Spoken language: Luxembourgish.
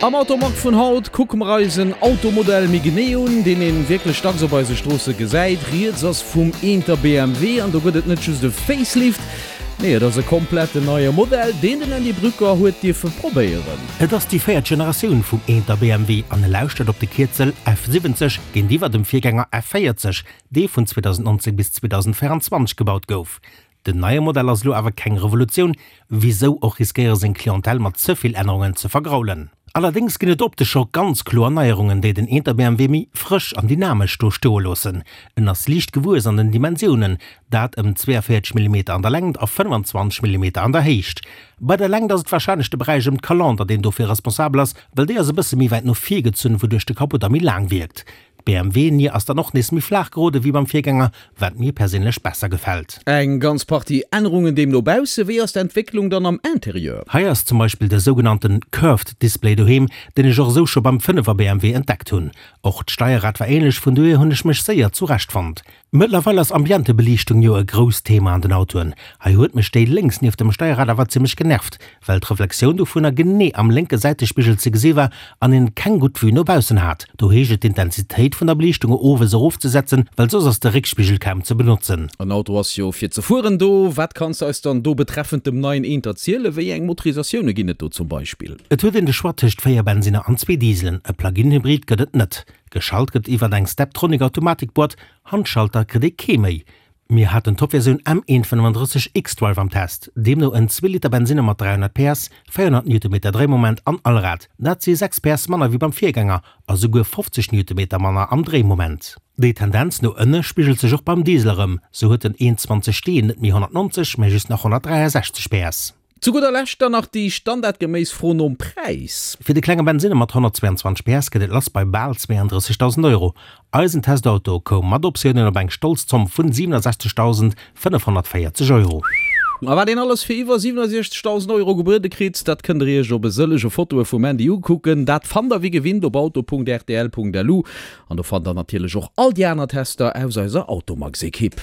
Am Automag vun haut kucke mer eis en Automodell méi genee un, deen een wierklech dacks op eise Stroosse gesäit. Rieds ass vum Eenter BMW an do gëtt et net just e Facelift, nee et ass e kompletten neie Modell, deen den Andy Brücker huet dierfe probéieren. Et ass déi véiert Generatioun vum Eenter BMW an e lauschtert op de Kierzel F70 géintiwwer dem Virgänger F40, dee vun 2019 bis 2024 gebaut gouf. Den neie Modell ass elo awer keng Revolutioun, wisou och riskéiere seng Clientèle mat ze vill Ännerungen ze vergraulen. Allerdéngs ginn et optesch scho ganz kloer Neierungen, déi den Eenter BMW méi frësch an dynamesch do stoe loossen. En ass liicht gewuess an den Dimensiounen, dat ëm 42 Millimeter an der Längt a 25 Millimeter an der Héicht. Bei der Längt ass et warscheinlech de Beräich ëm d'Calandre, deen dofir responsabel ass, well déi ass e bësse méi wäit no vir gezunn, wouduerch de Capot da méi laang wierkt. D'BMW-Nier ass dann och nees méi flaach gerode wéi beim Virgänger, wat mir perséinlech besser gefält. Eng ganz Partie Ännerungen deemno bausse. Wéi ass d'Entwécklung dann am Interieur? Hei ass zum Beispill de sougenannten Curved Display doheem, deen ech och esou scho beim 5 er BMW entdeckt hunn. Och d'Steierrad war ähnlech, vun dohier hunn ech mech séier zurecht fonnt. Mëttlerweil ass Ambientebeliichtung jo e grousst Thema an den Autoen. Hei huet mech déi lénks nieft dem Steierrad awer zimmlech genervt, well d'Reflexioun dovunner genee am lénke Säitespigel ze gesi war an een keng gutt Vue no baussen hat. Do heescht et d'Intensitéit vun der Beliichtung owes erofzesetzen, well soss ass de Réckspigel kaum ze benotzen. En Auto ass jo fir ze fueren do. Wat kanns de eis dann do betreffend dem neien Eent erzielen? Wéi eng Motorisatioune ginn et do zum Beispill? Et huet een de Choix tëscht 4 Bensinner an zwee Dieselen, e Plug-in-Hybrid gëtt et net. Geschalt gëtt iwwert eng Steptronic Automatikboîte, Handschalter kritt ee kee méi. Mir haten d'Topversioun M135 xDrive am Test, deemno en Zweeliter Bensinner mat 300 PS, 400 Newtonmeter Dréimoment an Allrad. Dat si 6 PS manner wéi beim Virgänger a souguer 50 Newtonmeter manner am Dréimoment. Déi Tendenz no ënne spigelt sech och beim Diesel erëm, sou huet den 1,20 D net méi 190, mä just nach 163 PS. Zu gudder Lescht dann nach déi standardgeméiss Fro nom Präis. Fir de klenge Bensinner mat 122 PS geet et lass bei bal 32.000 Euro. Eisen Testauto koum mat Optiounen op eng stolz Zomm vun 67.540 Euro. A wat een alles fir iwwer 67.000 Euro gebuede kritt, dat kënnt der iech op e sëllege Fotoe vum Mandy ukucken. Dat fannt der wéi gewinnt op auto.rtl.lu an do fannt der natierlech och all déi aner Tester aus eiser Automax-Ekipp.